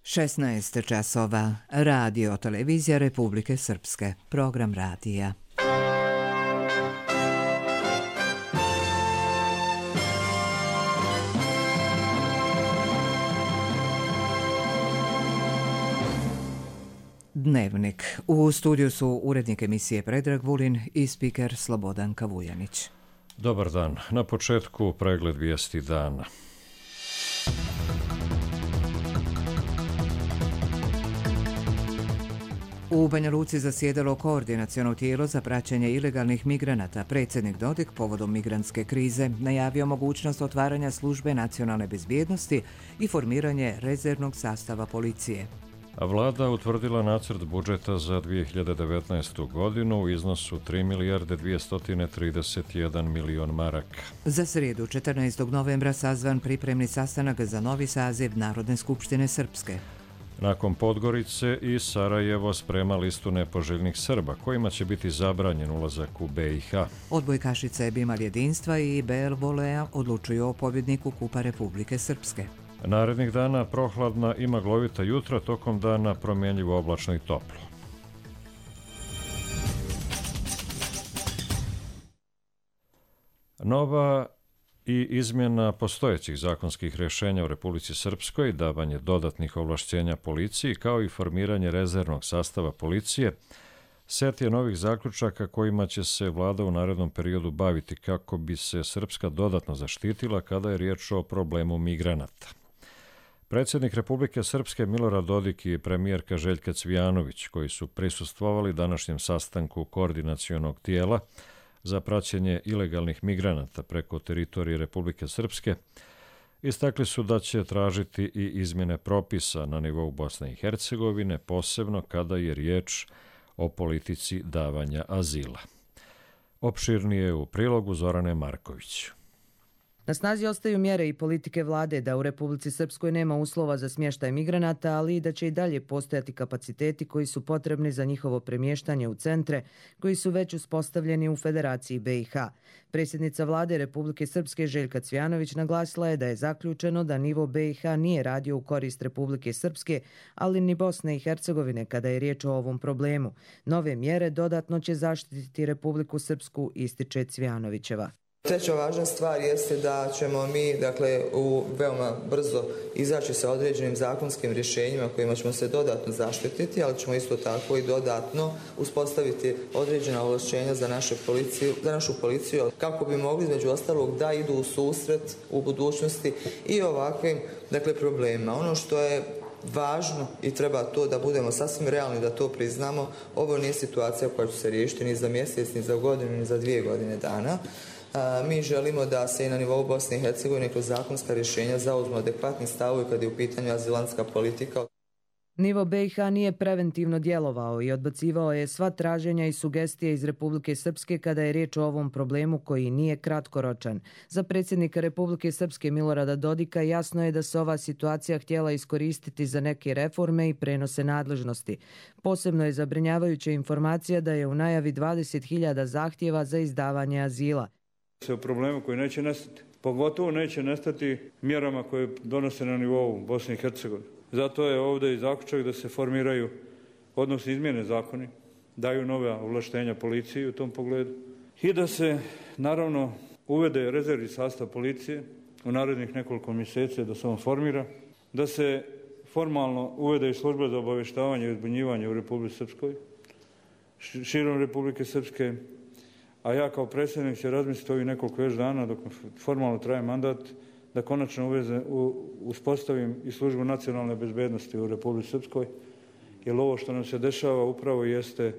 16 časova. Radio televizija Republike Srpske. Program radija. Dnevnik. U studiju su urednik emisije Predrag Vulin i spiker Slobodan Kavujanić. Dobar dan. Na početku pregled vijesti dana. U Banja Luci zasjedalo koordinaciono tijelo za praćenje ilegalnih migranata. Predsjednik Dodik povodom migrantske krize najavio mogućnost otvaranja službe nacionalne bezbjednosti i formiranje rezervnog sastava policije. A vlada utvrdila nacrt budžeta za 2019. godinu u iznosu 3 milijarde 231 milion maraka. Za srijedu 14. novembra sazvan pripremni sastanak za novi saziv Narodne skupštine Srpske. Nakon Podgorice i Sarajevo sprema listu nepoželjnih Srba, kojima će biti zabranjen ulazak u BiH. Odbojkašice Bimal jedinstva i BL Volea odlučuju o pobjedniku Kupa Republike Srpske. Narednih dana prohladna i maglovita jutra, tokom dana promjenjivo oblačno i toplo. Nova i izmjena postojećih zakonskih rješenja u Republici Srpskoj, davanje dodatnih ovlašćenja policiji kao i formiranje rezervnog sastava policije, set je novih zaključaka kojima će se vlada u narednom periodu baviti kako bi se Srpska dodatno zaštitila kada je riječ o problemu migranata. Predsjednik Republike Srpske Milorad Dodik i premijerka Željka Cvijanović, koji su prisustvovali današnjem sastanku koordinacionog tijela za praćenje ilegalnih migranata preko teritorije Republike Srpske, istakli su da će tražiti i izmjene propisa na nivou Bosne i Hercegovine, posebno kada je riječ o politici davanja azila. Opširnije u prilogu Zorane Marković. Na snazi ostaju mjere i politike vlade da u Republici Srpskoj nema uslova za smještaj migranata, ali i da će i dalje postojati kapaciteti koji su potrebni za njihovo premještanje u centre koji su već uspostavljeni u Federaciji BiH. Predsjednica vlade Republike Srpske Željka Cvijanović naglasila je da je zaključeno da nivo BiH nije radio u korist Republike Srpske, ali ni Bosne i Hercegovine kada je riječ o ovom problemu. Nove mjere dodatno će zaštititi Republiku Srpsku, ističe Cvijanovićeva. Treća važna stvar jeste da ćemo mi veoma brzo izaći sa određenim zakonskim rješenjima kojima ćemo se dodatno zaštititi, ali ćemo isto tako i dodatno uspostaviti određena ovlašćenja za našu policiju kako bi mogli između ostalog da idu u susret u budućnosti i ovakvim problemima. Ono što je važno i treba to da budemo sasvim realni, da to priznamo, ovo nije situacija koja će se riješiti ni za mjesec, ni za godinu, ni za 2 godine dana. Mi želimo da se i na nivou Bosne i Hercegovine kroz zakonska rješenja zauzmu adekvatni stavovi kada je u pitanju azilantska politika. Nivo BiH nije preventivno djelovao i odbacivao je sva traženja i sugestije iz Republike Srpske kada je riječ o ovom problemu koji nije kratkoročan. Za predsjednika Republike Srpske Milorada Dodika jasno je da se ova situacija htjela iskoristiti za neke reforme i prenose nadležnosti. Posebno je zabrinjavajuća informacija da je u najavi 20.000 zahtjeva za izdavanje azila. O problemu koji neće nestati. Pogotovo neće nestati mjerama koje donose na nivou Bosne i Hercegovine. Zato je ovdje i zaključak da se formiraju, odnosno izmjene zakoni, daju nove ovlaštenja policiji u tom pogledu i da se naravno uvede rezervni sastav policije u narednih nekoliko mjeseci, da se on formira, da se formalno uvede i služba za obavještavanje i uzbunjivanje u Republici Srpskoj, širom Republike Srpske, a ja kao predsjednik će razmisliti ovih nekoliko još dana dok formalno traje mandat da konačno uspostavim i službu nacionalne bezbjednosti u Republici Srpskoj, jer ovo što nam se dešava upravo jeste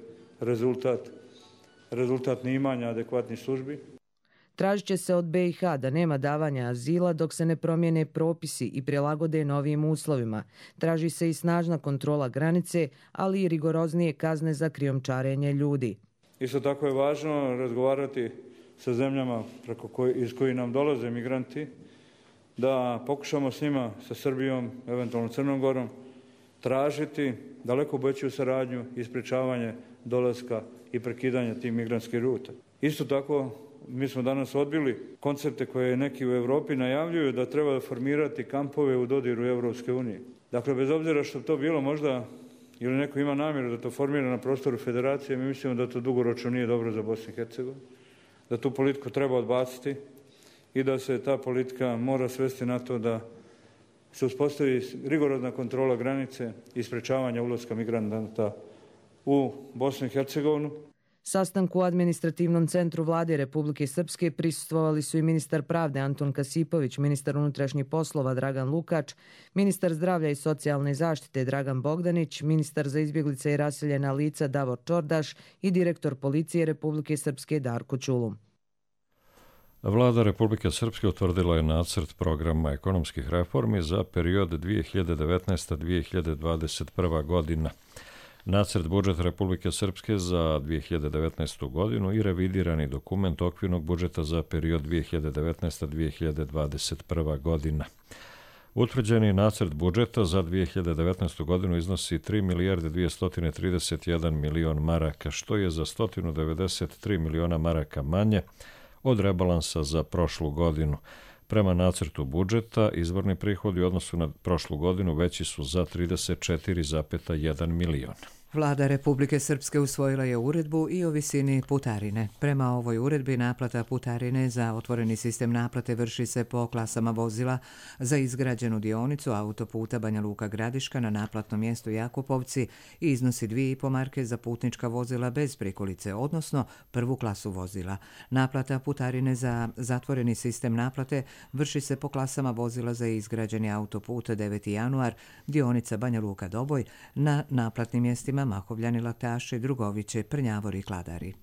rezultat neimanja adekvatnih službi. Tražit će se od BiH da nema davanja azila dok se ne promijene propisi i prilagode novim uslovima. Traži se i snažna kontrola granice, ali i rigoroznije kazne za krijumčarenje ljudi. Isto tako je važno razgovarati sa zemljama iz kojih nam dolaze migranti, da pokušamo s njima, sa Srbijom, eventualno Crnom Gorom, tražiti daleko veću saradnju i sprječavanje dolaska i prekidanja tih migrantskih ruta. Isto tako mi smo danas odbili koncepte koje neki u Europi najavljuju da treba formirati kampove u dodiru Evropske unije. Dakle, bez obzira što to bilo možda ili neko ima namjeru da to formira na prostoru federacije, mi mislimo da to dugoročno nije dobro za Bosnu i Hercegovinu, da tu politiku treba odbaciti i da se ta politika mora svesti na to da se uspostavi rigorozna kontrola granice i sprečavanja ulaska migranata u Bosnu i Hercegovinu. Sastanku u administrativnom centru Vlade Republike Srpske prisustvovali su i ministar pravde Anton Kasipović, ministar unutrašnjih poslova Dragan Lukač, ministar zdravlja i socijalne zaštite Dragan Bogdanić, ministar za izbjeglice i raseljena lica Davor Čordaš i direktor policije Republike Srpske Darko Čulum. Vlada Republike Srpske utvrdila je nacrt programa ekonomskih reformi za period 2019-2021 godina. Nacrt budžeta Republike Srpske za 2019. godinu i revidirani dokument okvirnog budžeta za period 2019-2021 godina. Utvrđeni nacrt budžeta za 2019. godinu iznosi 3 milijarde 231 milion maraka, što je za 193 miliona maraka manje od rebalansa za prošlu godinu. Prema nacrtu budžeta, izvorni prihodi u odnosu na prošlu godinu veći su za 34,1 milion. Vlada Republike Srpske usvojila je uredbu i o visini putarine. Prema ovoj uredbi naplata putarine za otvoreni sistem naplate vrši se po klasama vozila za izgrađenu dionicu autoputa Banja Luka Gradiška na naplatnom mjestu Jakupovci i iznosi 2,5 marke za putnička vozila bez prikolice, odnosno prvu klasu vozila. Naplata putarine za zatvoreni sistem naplate vrši se po klasama vozila za izgrađeni autoput 9. januar, dionica Banja Luka Doboj na naplatnim mjestima Mahovljani, Laktaši, Drugoviće, Prnjavori i Kladari.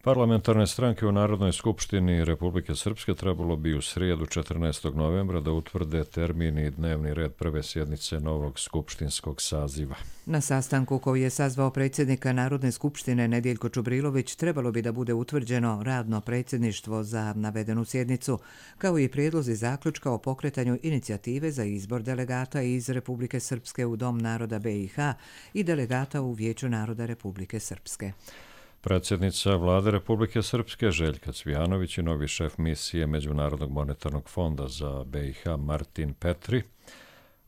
Parlamentarne stranke u Narodnoj skupštini Republike Srpske trebalo bi u srijedu 14. novembra da utvrde termin i dnevni red prve sjednice novog skupštinskog saziva. Na sastanku koji je sazvao predsjednika Narodne skupštine Nedjeljko Čubrilović trebalo bi da bude utvrđeno radno predsjedništvo za navedenu sjednicu, kao i prijedlozi zaključka o pokretanju inicijative za izbor delegata iz Republike Srpske u Dom naroda BiH i delegata u Vijeću naroda Republike Srpske. Predsjednica Vlade Republike Srpske Željka Cvijanović i novi šef misije Međunarodnog monetarnog fonda za BiH Martin Petri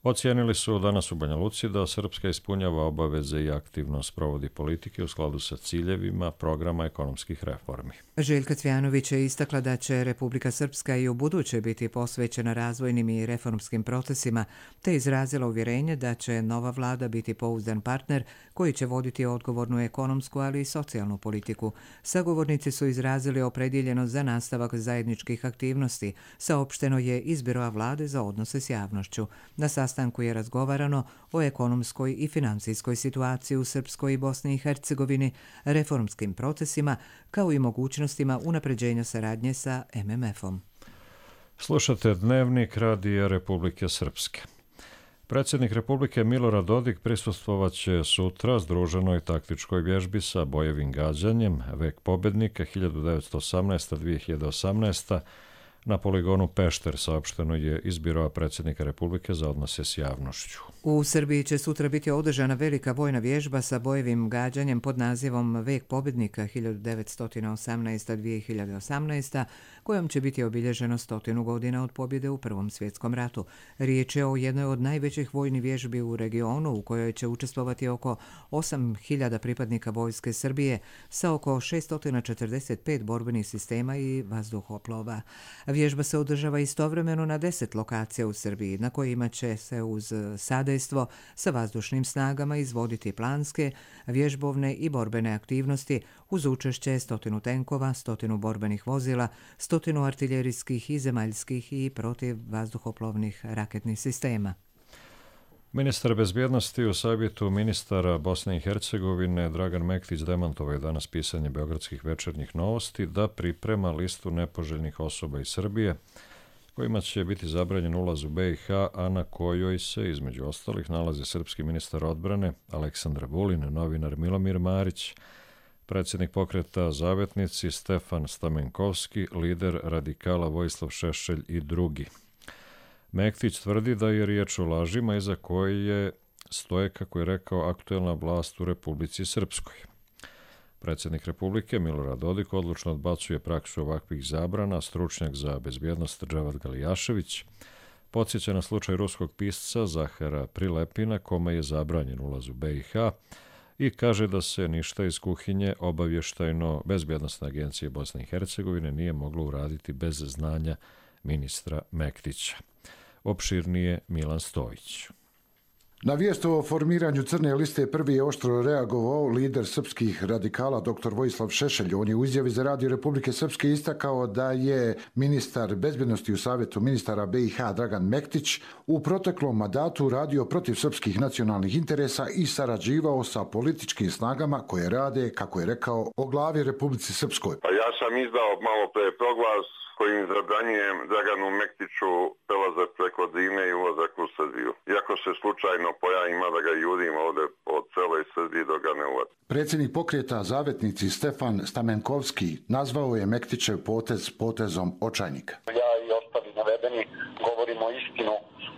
ocijenili su danas u Banja Luci da Srpska ispunjava obaveze i aktivno sprovodi politike u skladu sa ciljevima programa ekonomskih reformi. Željka Cvijanović je istakla da će Republika Srpska i u buduće biti posvećena razvojnim i reformskim procesima, te izrazila uvjerenje da će nova vlada biti pouzdan partner koji će voditi odgovornu ekonomsku, ali i socijalnu politiku. Sagovornici su izrazili opredjeljenost za nastavak zajedničkih aktivnosti, saopšteno je iz Biroa vlade za odnose s javnošću. Na sastanku je razgovarano o ekonomskoj i financijskoj situaciji u Srpskoj i Bosni i Hercegovini, reformskim procesima, kao i mogućnostima unapređenja saradnje sa MMF-om. Slušate Dnevnik Radija Republike Srpske. Predsjednik Republike Milorad Dodik prisustvovaće sutra združenoj taktičkoj vježbi sa bojevim gađanjem Vek pobjednika 1918-2018 na poligonu Pešter, saopšteno je iz Biroa predsjednika Republike za odnose s javnošću. U Srbiji će sutra biti održana velika vojna vježba sa bojevim gađanjem pod nazivom Vek pobjednika 1918-2018, kojom će biti obilježeno 100 godina od pobjede u Prvom svjetskom ratu. Riječ je o jednoj od najvećih vojnih vježbi u regionu u kojoj će učestvovati oko 8.000 pripadnika vojske Srbije sa oko 645 borbenih sistema i vazduhoplova. Vježba se održava istovremeno na 10 lokacija u Srbiji, na kojima će se uz sadejstvo sa vazdušnim snagama izvoditi planske, vježbovne i borbene aktivnosti uz učešće 100 tenkova, 100 borbenih vozila, 100 artiljerijskih i zemaljskih i protiv vazduhoplovnih raketnih sistema. Ministar bezbjednosti u savjetu ministara Bosne i Hercegovine Dragan Mektić demantovao je danas pisanje beogradskih večernjih novosti da priprema listu nepoželjnih osoba iz Srbije kojima će biti zabranjen ulaz u BiH, a na kojoj se, između ostalih, nalazi srpski ministar odbrane Aleksandar Vulin, novinar Milomir Marić, predsjednik pokreta Zavetnici Stefan Stamenkovski, lider radikala Vojislav Šešelj i drugi. Mektić tvrdi da je riječ o lažima iza koje stoje, kako je rekao, aktuelna vlast u Republici Srpskoj. Predsjednik Republike Milorad Dodik odlučno odbacuje praksu ovakvih zabrana. Stručnjak za bezbjednost Dževad Galijašević podsjeća na slučaj ruskog pisca Zahara Prilepina, kome je zabranjen ulaz u BiH, i kaže da se ništa iz kuhinje obavještajno-bezbjednostne agencije Bosne i Hercegovine nije moglo uraditi bez znanja ministra Mektića. Opširnije Milan Stojić. Na vijest o formiranju crne liste prvi je oštro reagovao lider srpskih radikala dr. Vojislav Šešelj. On je u izjavi za Radio Republike Srpske istakao da je ministar bezbjednosti u Savjetu ministara BiH Dragan Mektić u proteklom mandatu radio protiv srpskih nacionalnih interesa i sarađivao sa političkim snagama koje rade, kako je rekao, o glavi Republici Srpskoj. Ja sam izdao malo pre proglas kojim zabranjujem Draganu Mektiću prelazak preko Drine i ulazak u Srbiju. Iako se slučajno pojavim, da ga jurim ovdje od cele Srbije do ga ne ulazi. Predsjednik pokreta Zavetnici Stefan Stamenkovski nazvao je Mektićev potez potezom očajnika. Ja i ostali navedeni govorimo istinu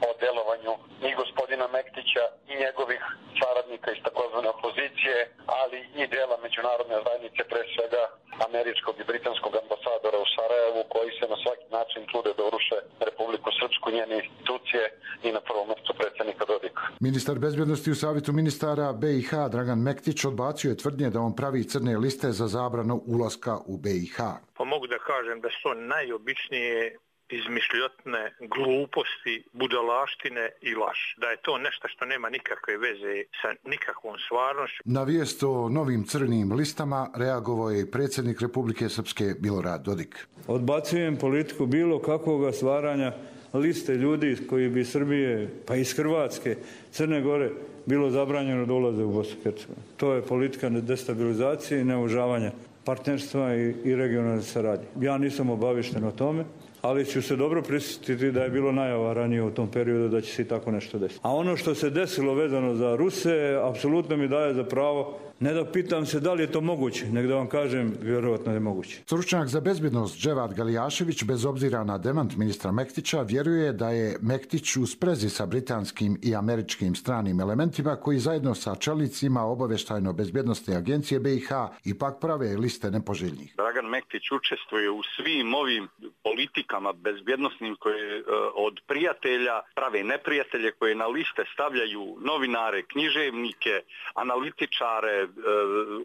o delovanju i gospodina Mektića i njegovih saradnika iz takozvane opozicije, ali i dela međunarodne zajednice, pre svega američkog i britanskog ambasadora u Sarajevu, koji se na svaki način trude da uruše Republiku Srpsku, njene institucije i na prvom mjestu predsjednika Dodika. Ministar bezbjednosti u Savjetu ministara BiH Dragan Mektić odbacio je tvrdnje da on pravi crne liste za zabranu ulaska u BiH. Pa mogu da kažem da su to najobičnije izmišljotne gluposti, budalaštine i laž. Da je to nešto što nema nikakve veze sa nikakvom stvarnošću. Na vijest o novim crnim listama reagovao je predsjednik Republike Srpske Milorad Dodik. Odbacujem politiku bilo kakvog stvaranja liste ljudi koji bi Srbije, pa iz Hrvatske, Crne Gore, bilo zabranjeno da ulaze u Bosnu i Hercegovinu. To je politika destabilizacije i neuvažavanja partnerstva i regionalne saradnje. Ja nisam obavješten o tome, ali ću se dobro prisjetiti da je bilo najava ranije u tom periodu da će se i tako nešto desiti. A ono što se desilo vezano za Ruse, apsolutno mi daje za pravo, ne da pitam se da li je to moguće, nego da vam kažem, vjerovatno je moguće. Stručnjak za bezbjednost Dževad Galijašević, bez obzira na demant ministra Mektića, vjeruje da je Mektić u sprezi sa britanskim i američkim stranim elementima koji zajedno sa čelnicima obavještajno-bezbjednostne agencije BiH ipak prave liste nepoželjnih. Dragan Mektić učestvuje u svim ovim politikama bezbjednosnim koje od prijatelja prave neprijatelje, koje na liste stavljaju novinare, književnike, analitičare,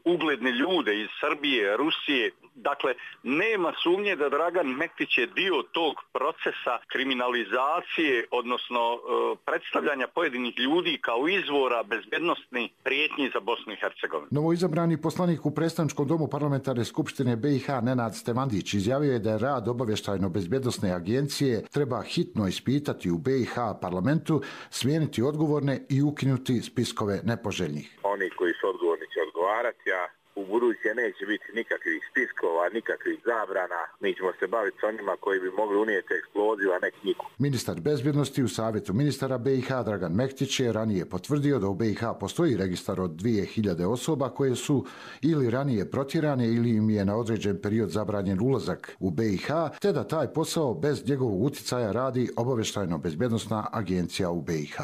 ugledne ljude iz Srbije, Rusije. Dakle, nema sumnje da Dragan Mektić je dio tog procesa kriminalizacije, odnosno predstavljanja pojedinih ljudi kao izvora bezbjednostnih prijetnji za Bosnu i Hercegovinu. Novoizabrani poslanik u predstavničkom domu parlamentarne skupštine BiH Nenad Stevandić izjavio je da je rad obavještajno-bezbjednosne agencije treba hitno ispitati u BiH parlamentu, smijeniti odgovorne i ukinuti spiskove nepoželjnih. Oni koji su odgovorni će odgovarati, a u buduće neće biti nikakvih spiskova, nikakvih zabrana. Mi ćemo se baviti s onima koji bi mogli unijeti eksploziju, a ne knjigu. Ministar bezbjednosti u Savjetu ministara BiH Dragan Mektić je ranije potvrdio da u BiH postoji registar od 2000 osoba koje su ili ranije protjerane ili im je na određen period zabranjen ulazak u BiH, te da taj posao bez njegovog uticaja radi obavještajno-bezbjednosna agencija u BiH.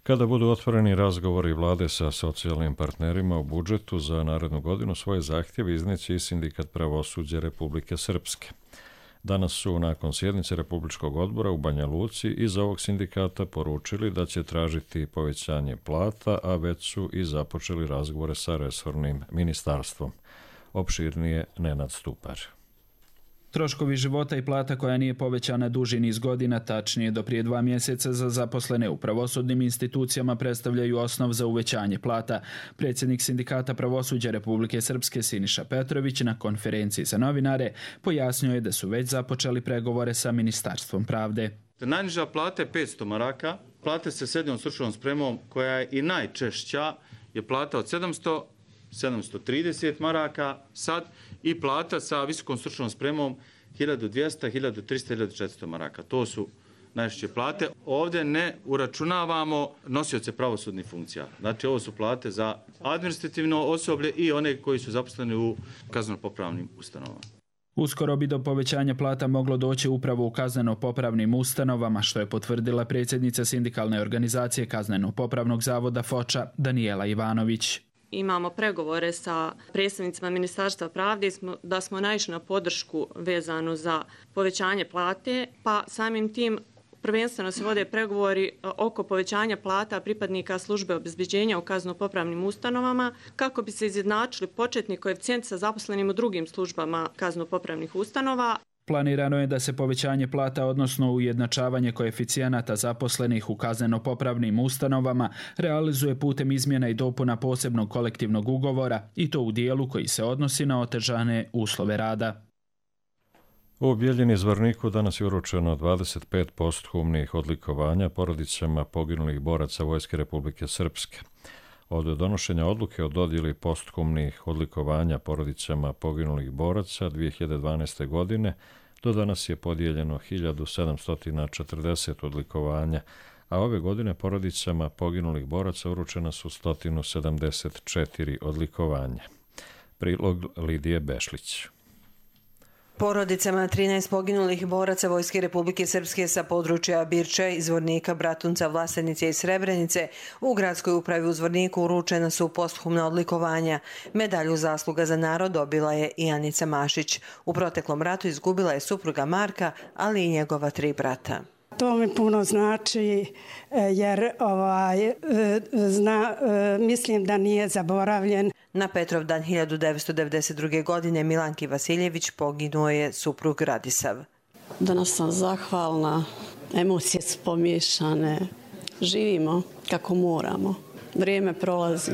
Kada budu otvoreni razgovori vlade sa socijalnim partnerima o budžetu za narednu godinu, svoje zahtjeve izneće i Sindikat pravosuđa Republike Srpske. Danas su nakon sjednice Republičkog odbora u Banja Luci iz ovog sindikata poručili da će tražiti povećanje plata, a već su i započeli razgovore sa resornim ministarstvom. Opširnije Nenad Stupar. Troškovi života i plata koja nije povećana duži niz godina, tačnije do prije 2 mjeseca za zaposlene u pravosudnim institucijama, predstavljaju osnov za uvećanje plata. Predsjednik Sindikata pravosuđa Republike Srpske Siniša Petrović na konferenciji za novinare pojasnio je da su već započeli pregovore sa Ministarstvom pravde. Najniža plata je 500 maraka, plate sa srednjom stručnom spremom koja je i najčešća je plata od 730 maraka sad i plata sa visokom stručnom spremom 1200, 1300, 1400 maraka. To su najčešće plate. Ovdje ne uračunavamo nosioce pravosudnih funkcija. Znači ovo su plate za administrativno osoblje i one koji su zaposleni u kazneno-popravnim ustanovama. Uskoro bi do povećanja plata moglo doći upravo u kazneno-popravnim ustanovama, što je potvrdila predsjednica sindikalne organizacije Kazneno-popravnog zavoda Foča Danijela Ivanović. Imamo pregovore sa predstavnicima Ministarstva pravde da smo naišli na podršku vezanu za povećanje plate, pa samim tim prvenstveno se vode pregovori oko povećanja plata pripadnika službe obezbeđenja u kazneno-popravnim ustanovama kako bi se izjednačili početni koeficijent sa zaposlenim u drugim službama kazneno-popravnih ustanova. Planirano je da se povećanje plata, odnosno ujednačavanje koeficijenata zaposlenih u kazneno-popravnim ustanovama, realizuje putem izmjena i dopuna posebnog kolektivnog ugovora i to u dijelu koji se odnosi na otežane uslove rada. U Bijeljini Zvorniku danas je uručeno 25 posthumnih odlikovanja porodicama poginulih boraca Vojske Republike Srpske. Od donošenja odluke o dodjeli posthumnih odlikovanja porodicama poginulih boraca 2012. godine do danas je podijeljeno 1740 odlikovanja, a ove godine porodicama poginulih boraca uručena su 174 odlikovanja. Prilog Lidije Bešlić. Porodicama 13 poginulih boraca Vojske Republike Srpske sa područja Birča, Zvornika, Bratunca, Vlasenice i Srebrenice u gradskoj upravi u Zvorniku uručena su posthumna odlikovanja. Medalju zasluga za narod dobila je i Anica Mašić. U proteklom ratu izgubila je supruga Marka, ali i njegova 3 brata. To mi puno znači jer mislim da nije zaboravljen. Na Petrovdan 1992. godine Milanki Vasiljević poginuo je suprug Radisav. Danas sam zahvalna, emocije su pomiješane, živimo kako moramo, vrijeme prolazi,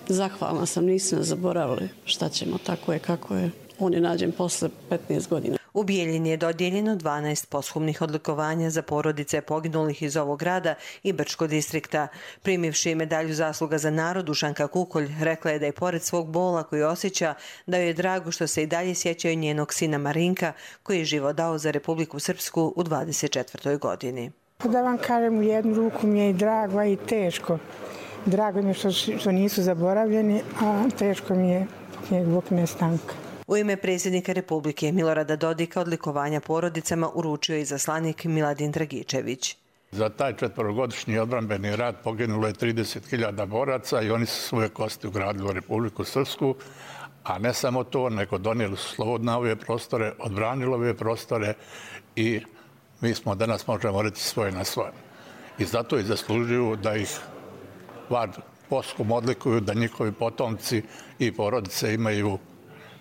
zahvalna sam, nisam zaboravili šta ćemo, tako je kako je. On je nađen posle 15 godina. U Bijeljini je dodijeljeno 12 posthumnih odlikovanja za porodice poginulih iz ovog grada i Brčkog distrikta. Primivši medalju zasluga za narod, Dušanka Kukolj rekla je da je pored svog bola koji osjeća, da joj je drago što se i dalje sjećaju njenog sina Marinka, koji je život dao za Republiku Srpsku u 24. godini. Da vam kažem, u jednu ruku mi je i drago, a i teško. Drago mi je što nisu zaboravljeni, a teško mi je zbog nestanka. U ime predsjednika Republike Milorada Dodika odlikovanja porodicama uručio je izaslanik Miladin Dragičević. Za taj 4-godišnji odbrambeni rat poginulo je 30.000 boraca i oni su svoje kosti ugradili u Republiku Srpsku, a ne samo to, nego donijeli su slobodno ove prostore, odbranili ove prostore i mi smo danas, možemo reći, svoje na svoje. I zato i zaslužuju da ih posthum odlikuju, da njihovi potomci i porodice imaju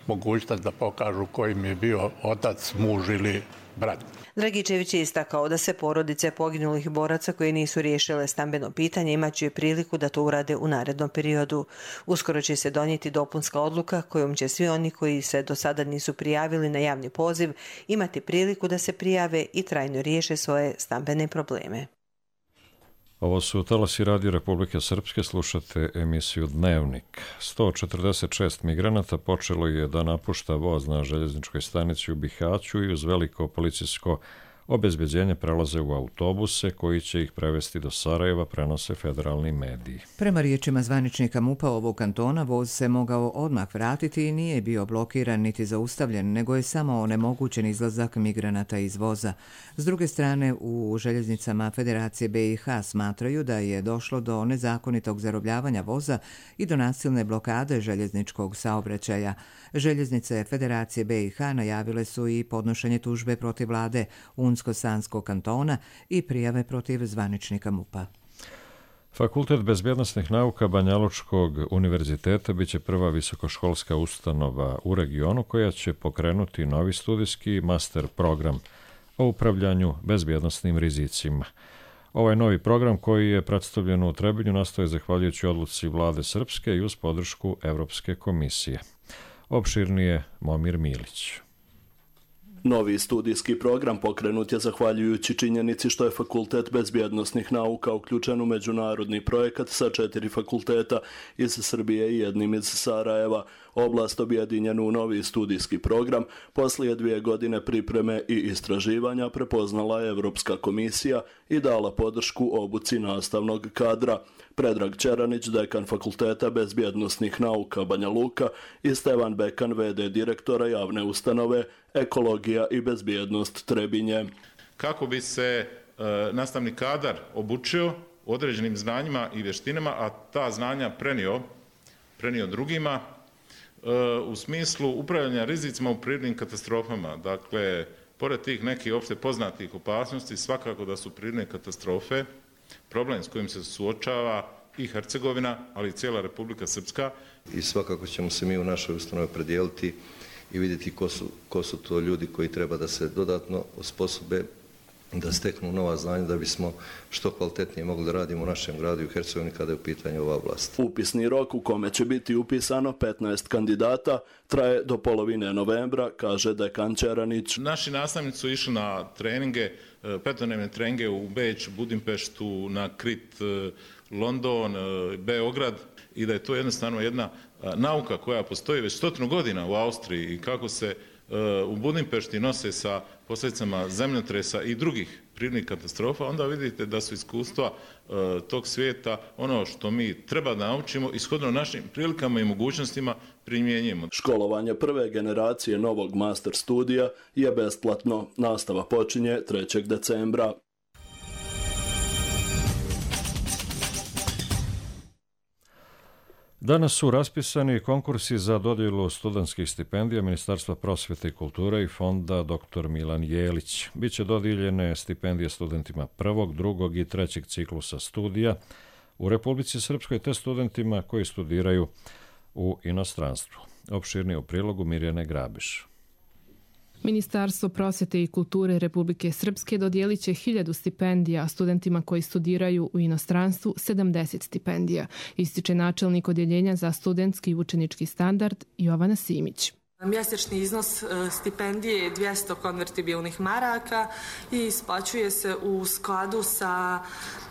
mogućnost da pokažu kojim je bio otac, muž ili brat. Dragičević je istakao da se porodice poginulih boraca koji nisu riješile stambeno pitanje imaće priliku da to urade u narednom periodu. Uskoro će se donijeti dopunska odluka kojom će svi oni koji se do sada nisu prijavili na javni poziv imati priliku da se prijave i trajno riješe svoje stambene probleme. Ovo su talasi Radio Republike Srpske, slušate emisiju Dnevnik. 146 migranata počelo je da napušta voz na željezničkoj stanici u Bihaću i uz veliko policijsko obezbeđenje prelaze u autobuse koji će ih prevesti do Sarajeva, prenose federalni mediji. Prema riječima zvaničnika MUP-a ovog kantona, voz se mogao odmah vratiti i nije bio blokiran niti zaustavljen, nego je samo onemogućen izlazak migranata iz voza. S druge strane, u željeznicama Federacije BiH smatraju da je došlo do nezakonitog zarobljavanja voza i do nasilne blokade željezničkog saobraćaja. Željeznice Federacije BiH najavile su i podnošenje tužbe protiv vlade Unsko-Sanskog kantona i prijave protiv zvaničnika MUP-a. Fakultet bezbjednosnih nauka Banjalučkog univerziteta biće prva visokoškolska ustanova u regionu koja će pokrenuti novi studijski master program o upravljanju bezbjednosnim rizicima. Ovaj novi program koji je predstavljen u Trebinju nastoje zahvaljujući odluci vlade Srpske i uz podršku Evropske komisije. Opširnije Momir Milić. Novi studijski program pokrenut je zahvaljujući činjenici što je Fakultet bezbjednosnih nauka uključen u međunarodni projekat sa 4 fakulteta iz Srbije i jednim iz Sarajeva. Oblast objedinjenu u novi studijski program poslije 2 godine pripreme i istraživanja prepoznala je Evropska komisija i dala podršku obuci nastavnog kadra. Predrag Čeranić, dekan Fakulteta bezbjednosnih nauka Banja Luka, i Stevan Bekan, v.d. direktora javne ustanove Ekologija i bezbjednost Trebinje. Kako bi se nastavni kadar obučio određenim znanjima i vještinama, a ta znanja prenio drugima u smislu upravljanja rizicima u prirodnim katastrofama. Dakle, pored tih nekih opšte poznatih opasnosti, svakako da su prirodne katastrofe problem s kojim se suočava i Hercegovina, ali i cijela Republika Srpska. I svakako ćemo se mi u našoj ustanovi predijeliti i vidjeti ko su to ljudi koji treba da se dodatno osposobe, da steknu nova znanja, da bismo što kvalitetnije mogli da radimo u našem gradu i u Hercegovini kada je u pitanju ova oblast. Upisni rok u kome će biti upisano 15 kandidata traje do polovine novembra, kaže dekan Čeranić. Naši nastavnici su išli na treninge, 5-dnevne treninge u Beč, Budimpeštu, na Krit, London, Beograd, i da je to jednostavno jedna nauka koja postoji već 100 godina u Austriji i kako se u Budimpešti nose sa posljedicama zemljotresa i drugih prirodnih katastrofa, onda vidite da su iskustva tog svijeta ono što mi treba da naučimo i shodno našim prilikama i mogućnostima primjenjujemo. Školovanje prve generacije novog master studija je besplatno. Nastava počinje 3. decembra. Danas su raspisani konkursi za dodjelu studentskih stipendija Ministarstva prosvjete i kulture i fonda dr. Milan Jelić. Biće dodijeljene stipendije studentima 1., 2. i 3. ciklusa studija u Republici Srpskoj te studentima koji studiraju u inostranstvu. Opširnije u prilogu Mirjane Grabiš. Ministarstvo prosvjete i kulture Republike Srpske dodijelit će 1000 stipendija, a studentima koji studiraju u inostranstvu 70 stipendija, ističe načelnik odjeljenja za studentski i učenički standard Jovana Simić. Mjesečni iznos stipendije je 200 konvertibilnih maraka i isplaćuje se u skladu sa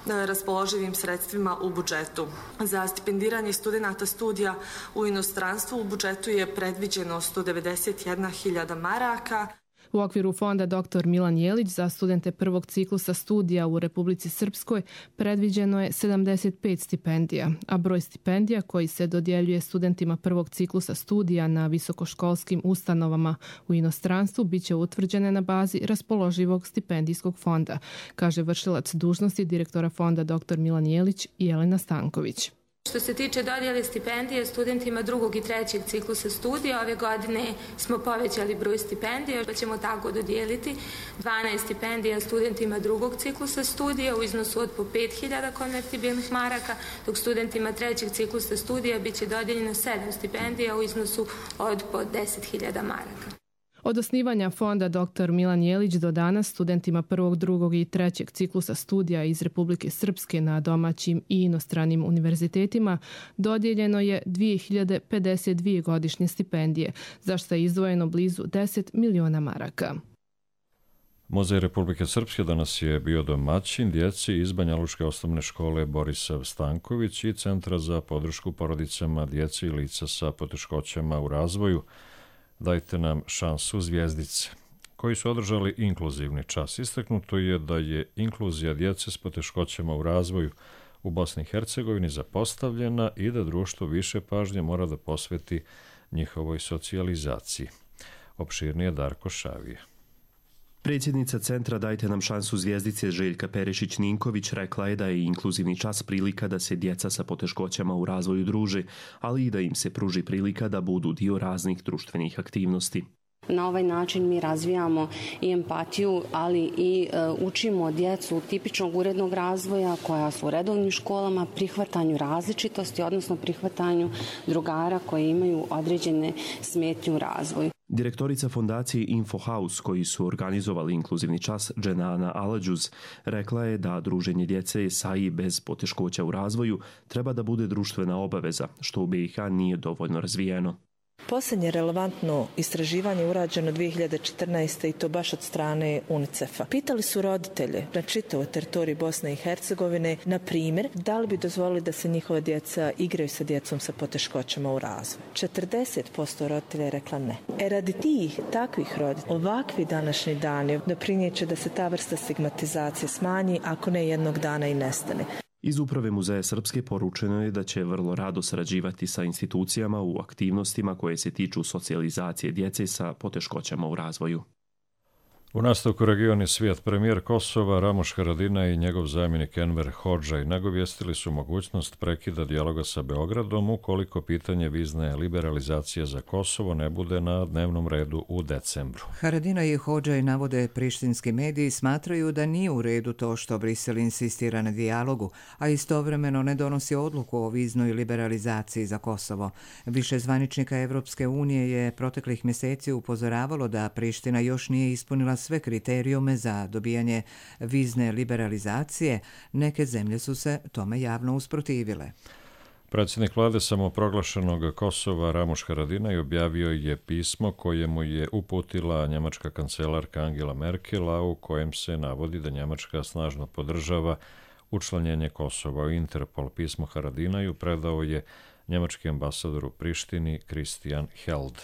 raspoloživim sredstvima u budžetu. Za stipendiranje studenata studija u inostranstvu u budžetu je predviđeno 191.000 maraka. U okviru fonda dr. Milan Jelić za studente 1. ciklusa studija u Republici Srpskoj predviđeno je 75 stipendija, a broj stipendija koji se dodjeljuje studentima 1. ciklusa studija na visokoškolskim ustanovama u inostranstvu biće utvrđene na bazi raspoloživog stipendijskog fonda, kaže vršilac dužnosti direktora fonda dr. Milan Jelić Jelena Stanković. Što se tiče dodjele stipendije studentima 2. i 3. ciklusa studija, ove godine smo povećali broj stipendija, pa ćemo tako dodijeliti 12 stipendija studentima 2. ciklusa studija u iznosu od po 5.000 konvertibilnih maraka, dok studentima 3. ciklusa studija biće dodijeljeno 7 stipendija u iznosu od po 10.000 maraka. Od osnivanja fonda dr. Milan Jelić do danas studentima 1., 2. i 3. ciklusa studija iz Republike Srpske na domaćim i inostranim univerzitetima dodijeljeno je 2052 godišnje stipendije, za što je izdvojeno blizu 10 miliona maraka. Muzej Republike Srpske danas je bio domaćin djeci iz Banjalučke osnovne škole Borisav Stanković i Centra za podršku porodicama djece i lica sa poteškoćama u razvoju Dajte nam šansu zvijezdice, koji su održali inkluzivni čas. Istaknuto je da je inkluzija djece s poteškoćama u razvoju u Bosni i Hercegovini zapostavljena i da društvo više pažnje mora da posveti njihovoj socijalizaciji. Opširnije Darko Šavije. Predsjednica Centra Dajte nam šansu zvijezdice Željka Perešić-Ninković rekla je da je inkluzivni čas prilika da se djeca sa poteškoćama u razvoju druže, ali i da im se pruži prilika da budu dio raznih društvenih aktivnosti. Na ovaj način mi razvijamo i empatiju, ali i učimo djecu tipičnog urednog razvoja koja su u redovnim školama, prihvatanju različitosti, odnosno prihvatanju drugara koji imaju određene smetnje u razvoju. Direktorica fondacije Infohouse, koji su organizovali inkluzivni čas, Dženana Aladžuz, rekla je da druženje djece sa i bez poteškoća u razvoju treba da bude društvena obaveza, što u BiH nije dovoljno razvijeno. Posljednje relevantno istraživanje urađeno 2014. i to baš od strane UNICEF-a. Pitali su roditelje na čitavoj teritoriji Bosne i Hercegovine, na primjer, da li bi dozvolili da se njihova djeca igraju sa djecom sa poteškoćama u razvoju. 40% roditelja je rekla ne. Radi tih takvih roditelja, ovakvi današnji dani doprinijeće da se ta vrsta stigmatizacije smanji, ako ne jednog dana i nestane. Iz Uprave Muzeja Srpske poručeno je da će vrlo rado sarađivati sa institucijama u aktivnostima koje se tiču socijalizacije djece sa poteškoćama u razvoju. U nastavku Region i svijet, premijer Kosova Ramuš Haradinaj i njegov zamjenik Enver Hodžaj nagovijestili su mogućnost prekida dijaloga sa Beogradom ukoliko pitanje vizne liberalizacije za Kosovo ne bude na dnevnom redu u decembru. Haradinaj i Hodžaj, navode prištinski mediji, smatraju da nije u redu to što Brisel insistira na dijalogu, a istovremeno ne donosi odluku o viznoj liberalizaciji za Kosovo. Više zvaničnika Evropske unije je proteklih mjeseci upozoravalo da Priština još nije ispunila sve kriterijume za dobijanje vizne liberalizacije. Neke zemlje su se tome javno usprotivile. Predsjednik vlade samoproglašenog Kosova Ramuš Haradinaj objavio je pismo koje mu je uputila njemačka kancelarka Angela Merkel, a u kojem se navodi da Njemačka snažno podržava učlanjenje Kosova u Interpol. Pismo Haradinaju predao je njemački ambasador u Prištini Christian Held.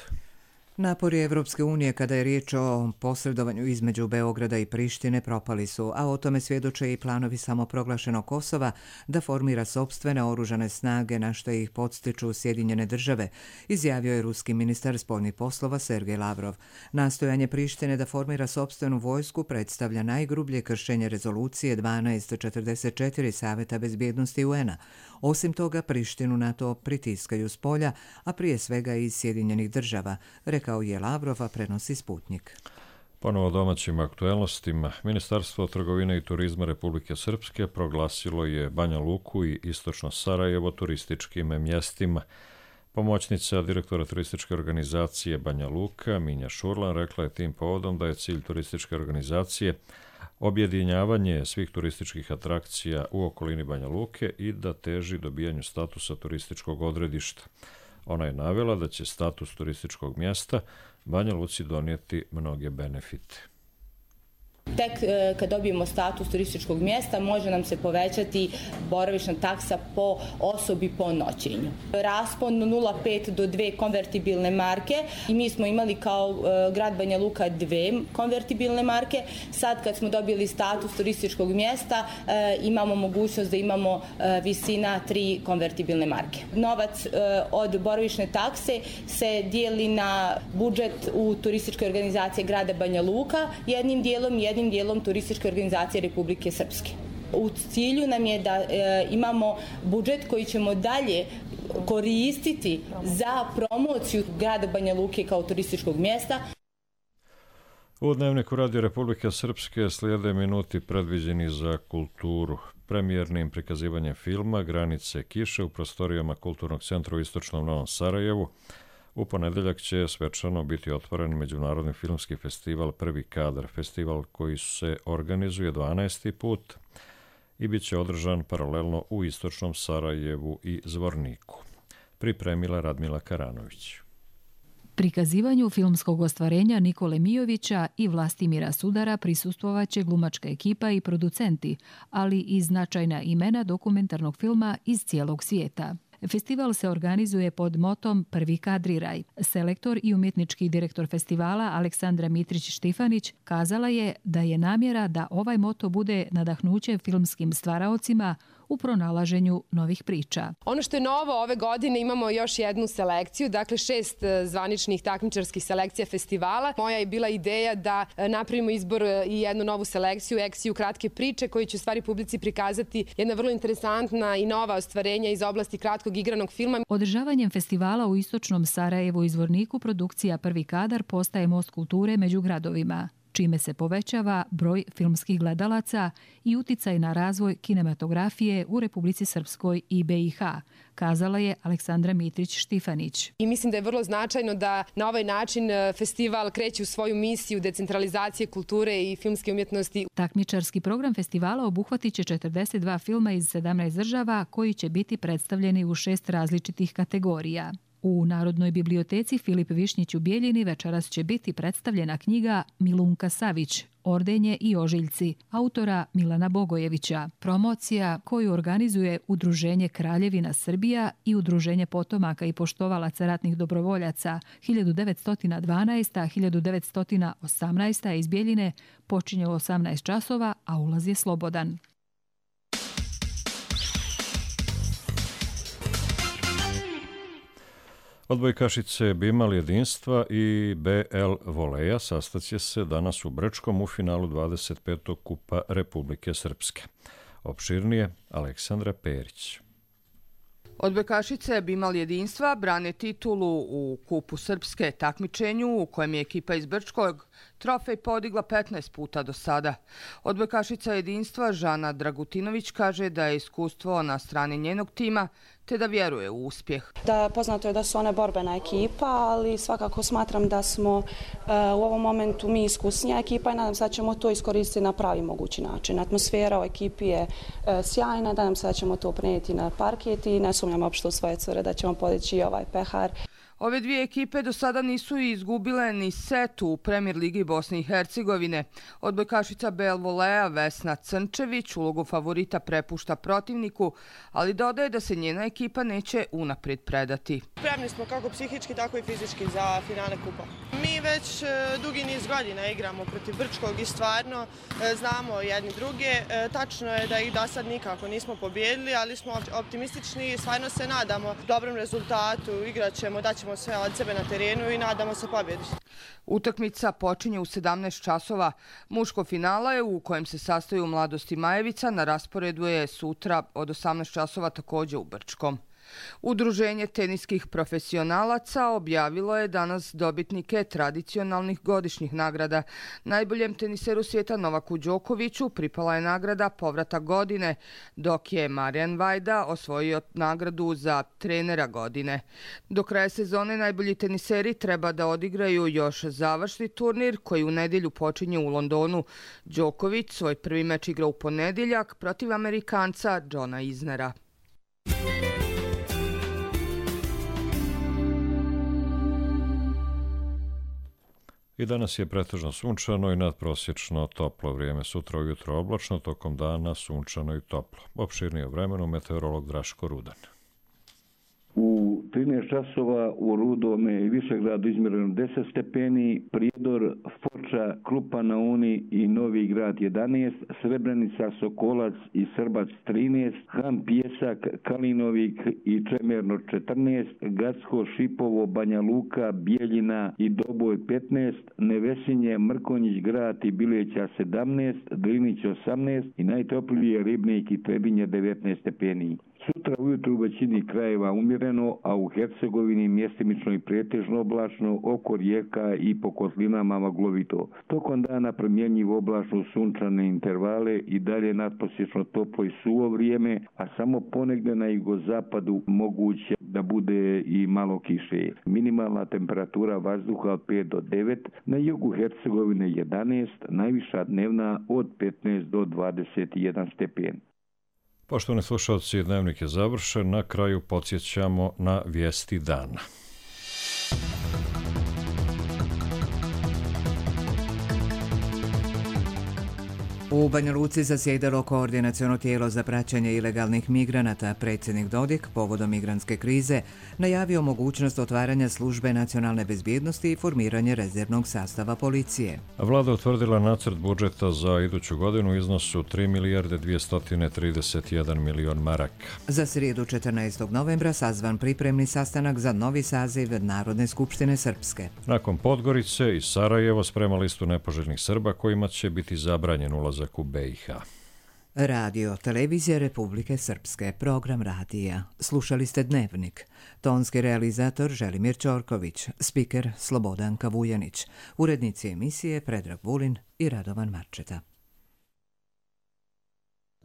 Napori Evropske unije kada je riječ o posredovanju između Beograda i Prištine propali su, a o tome svjedoče i planovi samoproglašenog Kosova da formira sopstvene oružane snage na što ih podstiču Sjedinjene države, izjavio je ruski ministar spoljnih poslova Sergej Lavrov. Nastojanje Prištine da formira sopstvenu vojsku predstavlja najgrublje kršenje rezolucije 1244 Saveta bezbjednosti UN-a. Osim toga, Prištinu na to pritiskaju s polja, a prije svega iz Sjedinjenih država, rekao je Lavrov, a prenosi Sputnik. Ponovo domaćim aktuelnostima, Ministarstvo trgovine i turizma Republike Srpske proglasilo je Banja Luku i istočno Sarajevo turističkim mjestima. Pomoćnica direktora turističke organizacije Banja Luka, Minja Šurlan, rekla je tim povodom da je cilj turističke organizacije objedinjavanje svih turističkih atrakcija u okolini Banja Luke i da teži dobijanju statusa turističkog odredišta. Ona je navela da će status turističkog mjesta Banja Luci donijeti mnoge benefite. Tek kad dobijemo status turističkog mjesta može nam se povećati boravišna taksa po osobi po noćenju. Raspon 0,5 do 2 konvertibilne marke i mi smo imali kao grad Banja Luka 2 konvertibilne marke. Sad kad smo dobili status turističkog mjesta imamo mogućnost da imamo visina 3 konvertibilne marke. Novac od boravišne takse se dijeli na budžet u turističkoj organizaciji grada Banja Luka jednim dijelom turističke organizacije Republike Srpske. U cilju nam je da imamo budžet koji ćemo dalje koristiti za promociju grada Banja Luke kao turističkog mjesta. U Dnevniku Radio Republike Srpske slijede minuti predviđeni za kulturu. Premijernim prikazivanjem filma Granice kiše u prostorijama Kulturnog centra u istočnom Novom Sarajevu u ponedjeljak će svečano biti otvoren Međunarodni filmski festival Prvi kadar, festival koji se organizuje 12. put i bit će održan paralelno u istočnom Sarajevu i Zvorniku. Pripremila Radmila Karanović. Prikazivanju filmskog ostvarenja Nikole Mijovića i Vlastimira Sudara prisustvovaće glumačka ekipa i producenti, ali i značajna imena dokumentarnog filma iz cijelog svijeta. Festival se organizuje pod motom Prvi kadriraj. Selektor i umjetnički direktor festivala Aleksandra Mitrić-Štifanić kazala je da je namjera da ovaj moto bude nadahnuće filmskim stvaraocima u pronalaženju novih priča. Ono što je novo ove godine, imamo još jednu selekciju, dakle 6 zvaničnih takmičarskih selekcija festivala. Moja je bila ideja da napravimo izbor i jednu novu selekciju, ekciju kratke priče, koji će u stvari publici prikazati jedna vrlo interesantna i nova ostvarenja iz oblasti kratkog igranog filma. Održavanjem festivala u istočnom Sarajevu i Zvorniku produkcija Prvi kadar postaje most kulture među gradovima, čime se povećava broj filmskih gledalaca i uticaj na razvoj kinematografije u Republici Srpskoj i BiH, kazala je Aleksandra Mitrić-Štifanić. I mislim da je vrlo značajno da na ovaj način festival kreće u svoju misiju decentralizacije kulture i filmske umjetnosti. Takmičarski program festivala obuhvatit će 42 filma iz 17 država koji će biti predstavljeni u 6 različitih kategorija. U Narodnoj biblioteci Filip Višnjić u Bijeljini večeras će biti predstavljena knjiga Milunka Savić, Ordenje i ožiljci, autora Milana Bogojevića. Promocija koju organizuje Udruženje Kraljevina Srbija i Udruženje potomaka i poštovalaca ratnih dobrovoljaca 1912-1918 iz Bijeljine počinje u 18 časova, a ulaz je slobodan. Odbojkašice Bimal Jedinstva i BL Voleja sastaće se danas u Brčkom u finalu 25. Kupa Republike Srpske. Opširnije Aleksandra Perić. Odbojkašice Bimal Jedinstva brane titulu u Kupu Srpske takmičenju u kojem je ekipa iz Brčkog trofej podigla 15 puta do sada. Odbojkašica Jedinstva Žana Dragutinović kaže da je iskustvo na strani njenog tima te da vjeruje u uspjeh. Poznato je da su one borbena ekipa, ali svakako smatram da smo u ovom momentu mi iskusnija ekipa i nadam se da ćemo to iskoristiti na pravi mogući način. Atmosfera u ekipi je sjajna, nadam se da ćemo to prenijeti na parket i ne sumnjam uopšte u svoje cure da ćemo podići ovaj pehar. Ove dvije ekipe do sada nisu izgubile ni set u Premier ligi Bosne i Hercegovine. Odbojkašica BL Voleja Vesna Crnčević ulogu favorita prepušta protivniku, ali dodaje da se njena ekipa neće unaprijed predati. Spremni smo kako psihički, tako i fizički za finale kupa. Mi već dugi niz godina igramo protiv Brčkog i stvarno znamo jedni druge. Tačno je da ih do sad nikako nismo pobijedili, ali smo optimistični i stvarno se nadamo dobrom rezultatu. Igraćemo, daćemo sve od sebe na terenu i nadamo se pobjedi. Utakmica počinje u 17 časova. Muško finale u kojem se sastaju Mladost i Majevica na rasporedu je sutra od 18 časova također u Brčkom. Udruženje teniskih profesionalaca objavilo je danas dobitnike tradicionalnih godišnjih nagrada. Najboljem teniseru svijeta Novaku Đokoviću pripala je nagrada Povratak godine, dok je Marijan Vajda osvojio nagradu za trenera godine. Do kraja sezone najbolji teniseri treba da odigraju još završni turnir koji u nedjelju počinje u Londonu. Đoković svoj prvi meč igra u ponedjeljak protiv Amerikanca Johna Isnera. I danas je pretežno sunčano i nadprosječno toplo vrijeme. Sutra ujutro oblačno, tokom dana sunčano i toplo. Opširnije o vremenu meteorolog Draško Rudan. U 13 časova u Rudome i Višegradu izmjereno 10 stepeni, Prijedor, Foča, Krupa na Uni i Novi Grad 11, Srebrenica, Sokolac i Srbac 13, Han Pjesak, Kalinovik i Čemerno 14, Gacko, Šipovo, Banja Luka, Bijeljina i Doboj 15, Nevesinje, Mrkonjić Grad i Bileća 17, Drinić 18 i najtoplije Ribnik i Trebinje 19 stepeni. Sutra ujutru u većini krajeva umjereno, a u Hercegovini mjestimično i pretežno oblačno, oko rijeka i po kotlinama maglovito. Tokom dana promjenjivo oblačno sunčane intervale i dalje nadprosječno toplo i suvo vrijeme, a samo ponegdje na jugozapadu moguće da bude i malo kiše. Minimalna temperatura vazduha od 5 do 9, na jugu Hercegovine 11, najviša dnevna od 15 do 21 stepen. Poštovani slušalci, dnevnik je završen. Na kraju podsjećamo na vijesti dana. U Banja Luci zasjedalo koordinaciono tijelo za praćenje ilegalnih migranata. Predsjednik Dodik povodom migrantske krize najavio mogućnost otvaranja službe nacionalne bezbjednosti i formiranje rezervnog sastava policije. Vlada utvrdila nacrt budžeta za iduću godinu u iznosu 3 milijarde 231 milion maraka. Za srijedu 14. novembra sazvan pripremni sastanak za novi saziv Narodne skupštine Srpske. Nakon Podgorice i Sarajevo sprema listu nepoželjnih Srba kojima će biti zabranjen ulazak u BiH. Radio, televizija Republike Srpske, program radija. Slušali ste Dnevnik. Tonski realizator Želimir Ćorković, spiker Slobodanka Vujanić, urednici emisije Predrag Vulin i Radovan Marčeta.